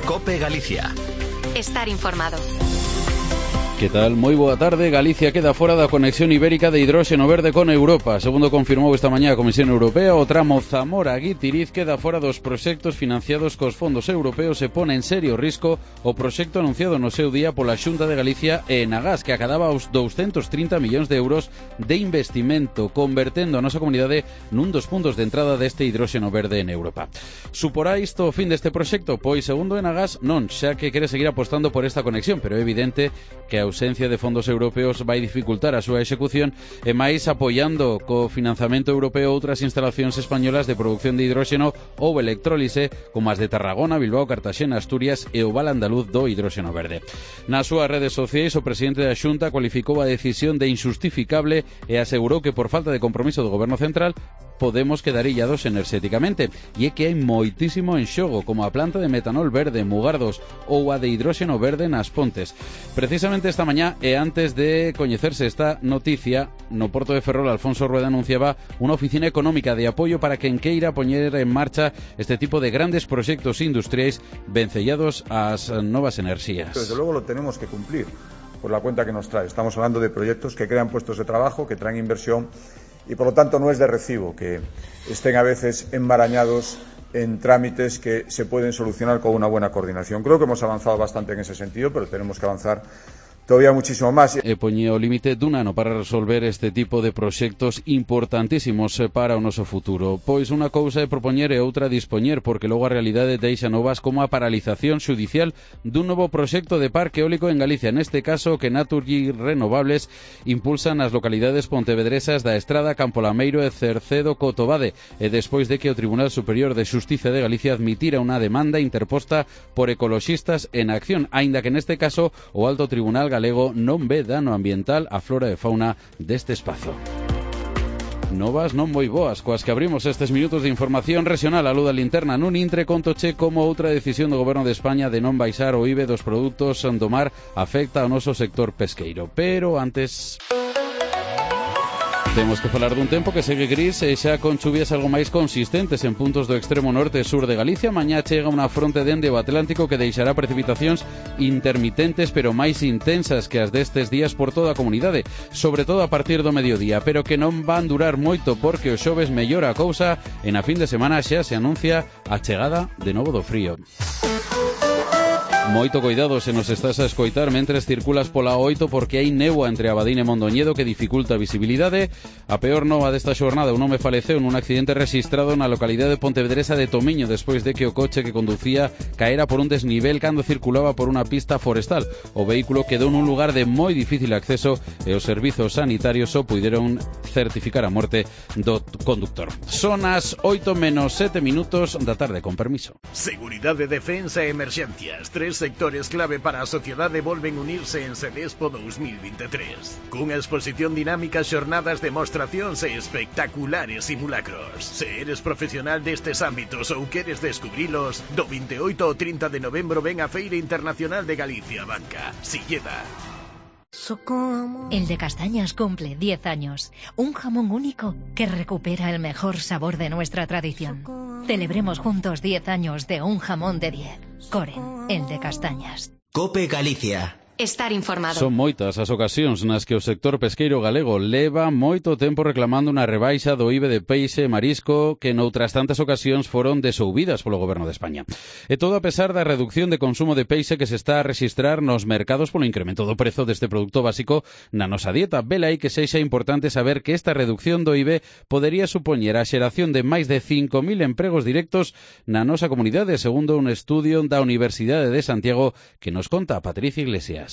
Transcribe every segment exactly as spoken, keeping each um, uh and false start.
COPE Galicia. Estar informado. Que tal? Moi boa tarde. Galicia queda fora da conexión ibérica de hidróxeno verde con Europa. Segundo confirmou esta mañá a Comisión Europea, o tramo Zamora-Guitiriz queda fora dos proxectos financiados cos fondos europeos e pone en serio risco o proxecto anunciado no seu día pola Xunta de Galicia e Enagás, que acadaba os douscentos trinta millóns de euros de investimento, convertendo a nosa comunidade nun dos puntos de entrada deste hidróxeno verde en Europa. Suporá isto o fin deste proxecto? Pois, segundo Enagás, non, xa que quere seguir apostando por esta conexión, pero é evidente que a ausencia de fondos europeos vai dificultar a súa execución e máis apoiando co financiamento europeo outras instalacións españolas de produción de hidróxeno ou electrólise como as de Tarragona, Bilbao, Cartaxena, Asturias e o Val Andaluz do hidróxeno verde. Nas súas redes sociais, o presidente da Xunta cualificou a decisión de injustificable e asegurou que por falta de compromiso do Goberno Central podemos quedar illados enerxéticamente, e é que hai moitísimo en xogo, como a planta de metanol verde en Mugardos ou a de hidróxeno verde nas Pontes. Precisamente esta mañá, e antes de coñecerse esta noticia, no Porto de Ferrol Alfonso Rueda anunciaba unha oficina económica de apoio para quen queira poñer en marcha este tipo de grandes proxectos industriais vencellados ás novas enerxías. Desde luego lo tenemos que cumplir por la cuenta que nos trae. Estamos hablando de proyectos que crean puestos de trabajo, que traen inversión, y por lo tanto no es de recibo que estén a veces enmarañados en trámites que se pueden solucionar con una buena coordinación. Creo que hemos avanzado bastante en ese sentido, pero tenemos que avanzar todavía muchísimo máis. E poñía o límite dun ano para resolver este tipo de proxectos importantísimos para o noso futuro. Pois unha cousa é propoñer e outra dispoñer, porque logo a realidade deixa novas como a paralización xudicial dun novo proxecto de parque eólico en Galicia, neste caso que Naturgy Renovables impulsan as localidades pontevedresas da Estrada, Campolameiro e Cercedo Cotobade, e despois de que o Tribunal Superior de Xustiza de Galicia admitira unha demanda interposta por ecoloxistas en acción, aínda que neste caso o Alto Tribunal galego non ve dano ambiental á flora e fauna deste espazo. Novas non moi boas, coas que abrimos estes minutos de información regional. A luz da linterna nun intre contoche como outra decisión do Goberno de España de non baixar o I V E dos produtos do mar afecta ao noso sector pesqueiro. Pero antes... temos que falar dun tempo que segue gris e xa con chuvias algo máis consistentes en puntos do extremo norte e sur de Galicia. Mañá chega unha fronte dende o Atlántico que deixará precipitacións intermitentes pero máis intensas que as destes días por toda a comunidade, sobre todo a partir do mediodía, pero que non van durar moito porque o xoves mellora a cousa e na fin de semana xa se anuncia a chegada de novo do frío. Moito cuidado se nos estás a escoitar mentres circulas pola oito porque hai néboa entre Abadín e Mondoñedo que dificulta a visibilidade. A peor nova desta xornada, un home faleceu nun accidente rexistrado na localidade pontevedresa de Tomiño despois de que o coche que conducía caera por un desnivel cando circulaba por unha pista forestal. O vehículo quedou nun lugar de moi difícil acceso e os servizos sanitarios só puideron certificar a morte do conductor. Son as oito menos sete minutos da tarde, con permiso. Seguridade, defensa e emerxencias, tres sectores clave para a sociedade volven unirse en Sedespo dos mil veintitrés. Cunha exposición dinámica, xornadas, demostracións e espectaculares simulacros. Se eres profesional destes ámbitos ou queres descubrilos, do veintioito ao trinta de novembro ven a Feira Internacional de Galicia Banca, Silleda. El de Castañas cumple diez años. Un jamón único que recupera el mejor sabor de nuestra tradición. Celebremos juntos diez años de un jamón de diez. Coren, el de Castañas. COPE Galicia. Estar informado. Son moitas as ocasións nas que o sector pesqueiro galego leva moito tempo reclamando unha rebaixa do I V E de peixe e marisco que noutras tantas ocasións foron desouvidas polo Goberno de España. E todo a pesar da reducción de consumo de peixe que se está a rexistrar nos mercados polo incremento do prezo deste produto básico na nosa dieta. Vela aí que sexa importante saber que esta reducción do I V E podería supoñer a xeración de máis de cinco mil empregos directos na nosa comunidade, segundo un estudio da Universidade de Santiago que nos conta Patricia Iglesias.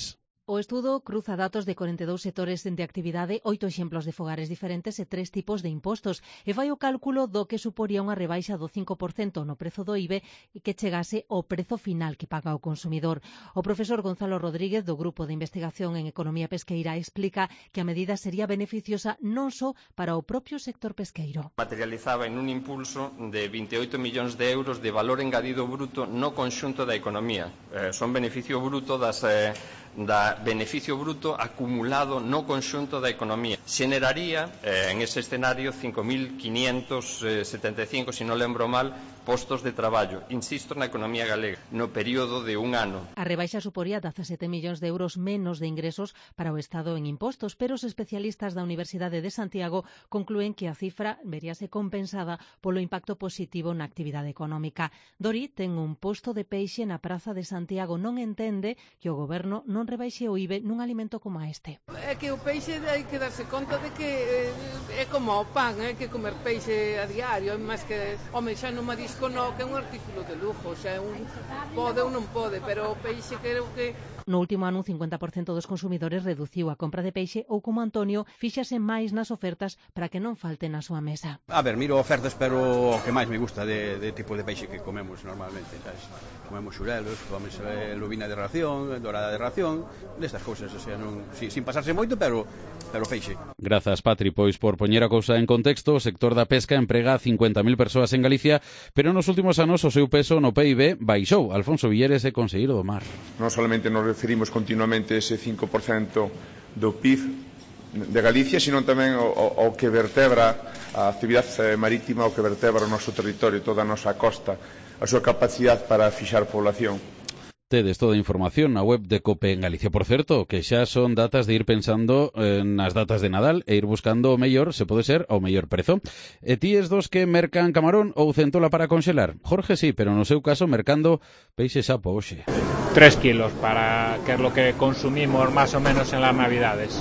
O estudo cruza datos de corenta e dous sectores de actividade, oito exemplos de fogares diferentes e tres tipos de impostos e fai o cálculo do que suporía unha rebaixa do cinco por cento no prezo do I V E e que chegase ao prezo final que paga o consumidor. O profesor Gonzalo Rodríguez do Grupo de Investigación en Economía Pesqueira explica que a medida sería beneficiosa non só para o propio sector pesqueiro. Materializaba en un impulso de veintioito millóns de euros de valor engadido bruto no conxunto da economía. Eh, son beneficio bruto das, eh, da beneficio bruto acumulado no conxunto da economía. Xeneraría, eh, en ese escenario, cinco mil quinientos setenta e cinco, se non lembro mal, postos de traballo, insisto, na economía galega, no período de un ano. A rebaixa suporía dezasete millóns de euros menos de ingresos para o Estado en impostos, pero os especialistas da Universidade de Santiago conclúen que a cifra veríase compensada polo impacto positivo na actividade económica. Dori ten un posto de peixe na Praza de Santiago, non entende que o goberno non non rebaixe o I V E nun alimento como este. É que o peixe hai que darse conta de que é como o pan, hai que comer peixe a diario, máis que, home, xa no marisco no, que é un artículo de lujo, xa un pode ou non pode, pero o peixe creo que... No último ano, un cincuenta por cento dos consumidores reduciu a compra de peixe ou, como Antonio, fíxase máis nas ofertas para que non falte na súa mesa. A ver, miro ofertas, pero o que máis me gusta de, de tipo de peixe que comemos normalmente, sabes? Comemos xurelos, comemos eh, lubina de ración, dorada de ración, destas cousas, o sea, non, sí, sin pasarse moito, pero pero peixe. Grazas, Patri, pois por poñer a cousa en contexto, o sector da pesca emprega cincuenta mil persoas en Galicia, pero nos últimos anos o seu peso no P I B baixou. Alfonso Villares e Conselleiro do Mar. Non solamente nos referimos continuamente a ese cinco por cento do P I B de Galicia, sino tamén ao, ao que vertebra a actividade marítima, ao que vertebra o noso territorio, toda a nosa costa, a súa capacidade para fixar población. Tedes toda a información na web de COPE en Galicia. Por certo, que xa son datas de ir pensando eh, nas datas de Nadal e ir buscando o mellor, se pode ser, ao mellor prezo. E ti es dos que mercan camarón ou centola para conxelar? Jorge sí, pero no seu caso mercando peixe sapo hoxe. Tres kilos, para que es lo que consumimos más o menos en las Navidades.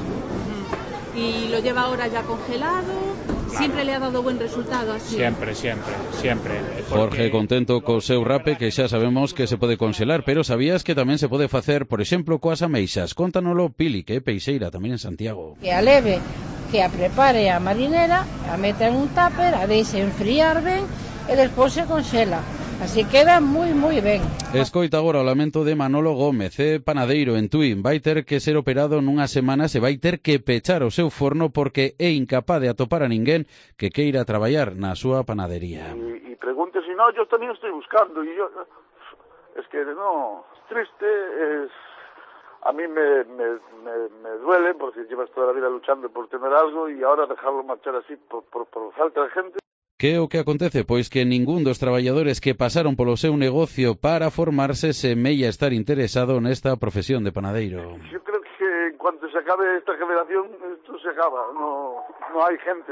¿Y lo lleva ahora ya congelado? ¿Siempre le ha dado buen resultado así? Siempre, siempre, siempre. Porque... Jorge contento co seu rape, que xa sabemos que se pode conxelar, pero sabías que tamén se pode facer, por exemplo, coas ameixas. Contanolo Pili, que é peixeira tamén en Santiago. Que a leve, que a prepare a marinera, a meta en un tupper, a deixe enfriar ben e despois se conxela. Así queda moi, moi ben. Escoita agora o lamento de Manolo Gómez, é panadeiro en Tui. Vai ter que ser operado nunha semana, se vai ter que pechar o seu forno porque é incapaz de atopar a ninguén que queira traballar na súa panadería. Y, y pregunte si no, yo también estoy buscando. Y yo, es que no, es triste, es... A mí me, me, me, me duele porque llevas toda la vida luchando por tener algo y ahora dejarlo marchar así por, por, por falta de gente. Que é o que acontece? Pois que ningún dos traballadores que pasaron polo seu negocio para formarse semella estar interesado nesta profesión de panadeiro. Yo creo que en cuanto se acabe esta generación, esto se acaba, no, no hay gente.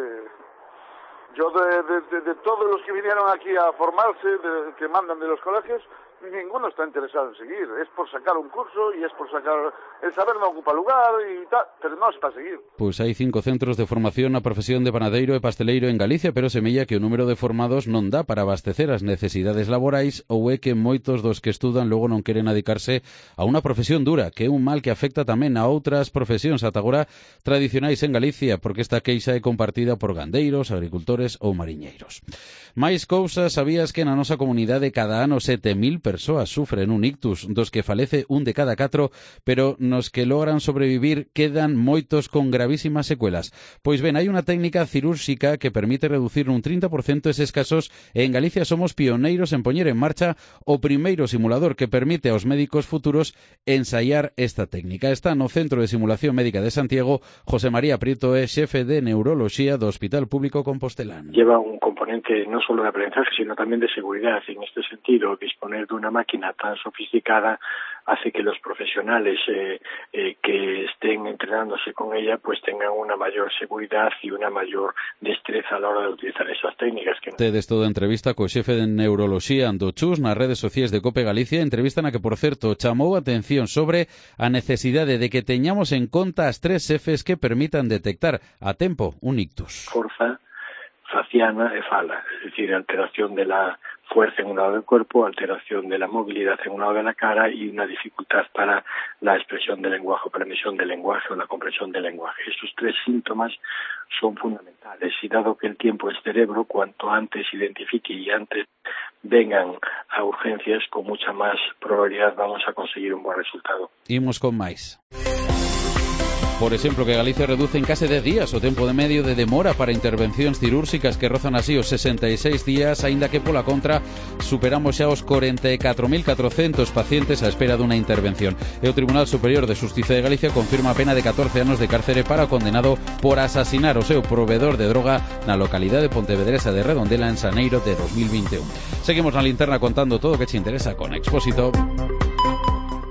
Yo de, de, de, de todos los que vinieron aquí a formarse, de, que mandan de los colegios, ninguno está interesado en seguir. Es por sacar un curso y es por sacar... El saber no ocupa lugar y tal, pero no es para seguir. Pois hai cinco centros de formación na profesión de panadeiro e pasteleiro en Galicia, pero semella que o número de formados non dá para abastecer as necesidades laborais ou é que moitos dos que estudan logo non queren dedicarse a unha profesión dura, que é un mal que afecta tamén a outras profesións ata agora tradicionais en Galicia, porque esta queixa é compartida por gandeiros, agricultores ou mariñeiros. Mais cousas, sabías que na nosa comunidade cada ano sete mil persoas sufren un ictus, dos que falece un de cada catro, pero nos que logran sobrevivir quedan moitos con gravísimas secuelas. Pois ben, hai unha técnica cirúrxica que permite reducir un trinta por cento eses casos e en Galicia somos pioneiros en poñer en marcha o primeiro simulador que permite aos médicos futuros ensaiar esta técnica. Está no Centro de Simulación Médica de Santiago. José María Prieto é xefe de neuroloxía do Hospital Público Compostelán. Lleva un componente no solo de aprendizaje, sino también de seguridad. En este sentido, disponer de una máquina tan sofisticada hace que los profesionales eh, eh, que estén entrenándose con ella pues tengan una mayor seguridad y una mayor destreza a la hora de utilizar esas técnicas. Que... Tedes toda a entrevista co xefe de neuroloxía do Chus nas redes sociais de COPE Galicia, entrevista na que, por certo, chamou a atención sobre a necesidade de que teñamos en conta as tres Fs que permitan detectar a tempo un ictus. Forza, faciana e fala, es decir, alteración de la fuerza en un lado del cuerpo, alteración de la movilidad en un lado de la cara y una dificultad para la expresión del lenguaje, para la emisión del lenguaje o la comprensión del lenguaje. Estos tres síntomas son fundamentales y dado que el tiempo es cerebro, cuanto antes identifique y antes vengan a urgencias, con mucha más probabilidad vamos a conseguir un buen resultado. Imos con máis. Por exemplo, que Galicia reduce en case dez días o tempo de medio de demora para intervencións cirúrxicas que rozan así os sesenta e seis días, aínda que pola contra superamos xa os corenta e catro mil catrocentos pacientes á espera dunha intervención. E o Tribunal Superior de Xustiza de Galicia confirma a pena de catorce anos de cárcere para o condenado por asasinar o seu provedor de droga na localidade pontevedresa de Redondela en xaneiro de dos mil vinte e un. Seguimos na linterna contando todo o que che interesa con Expósito.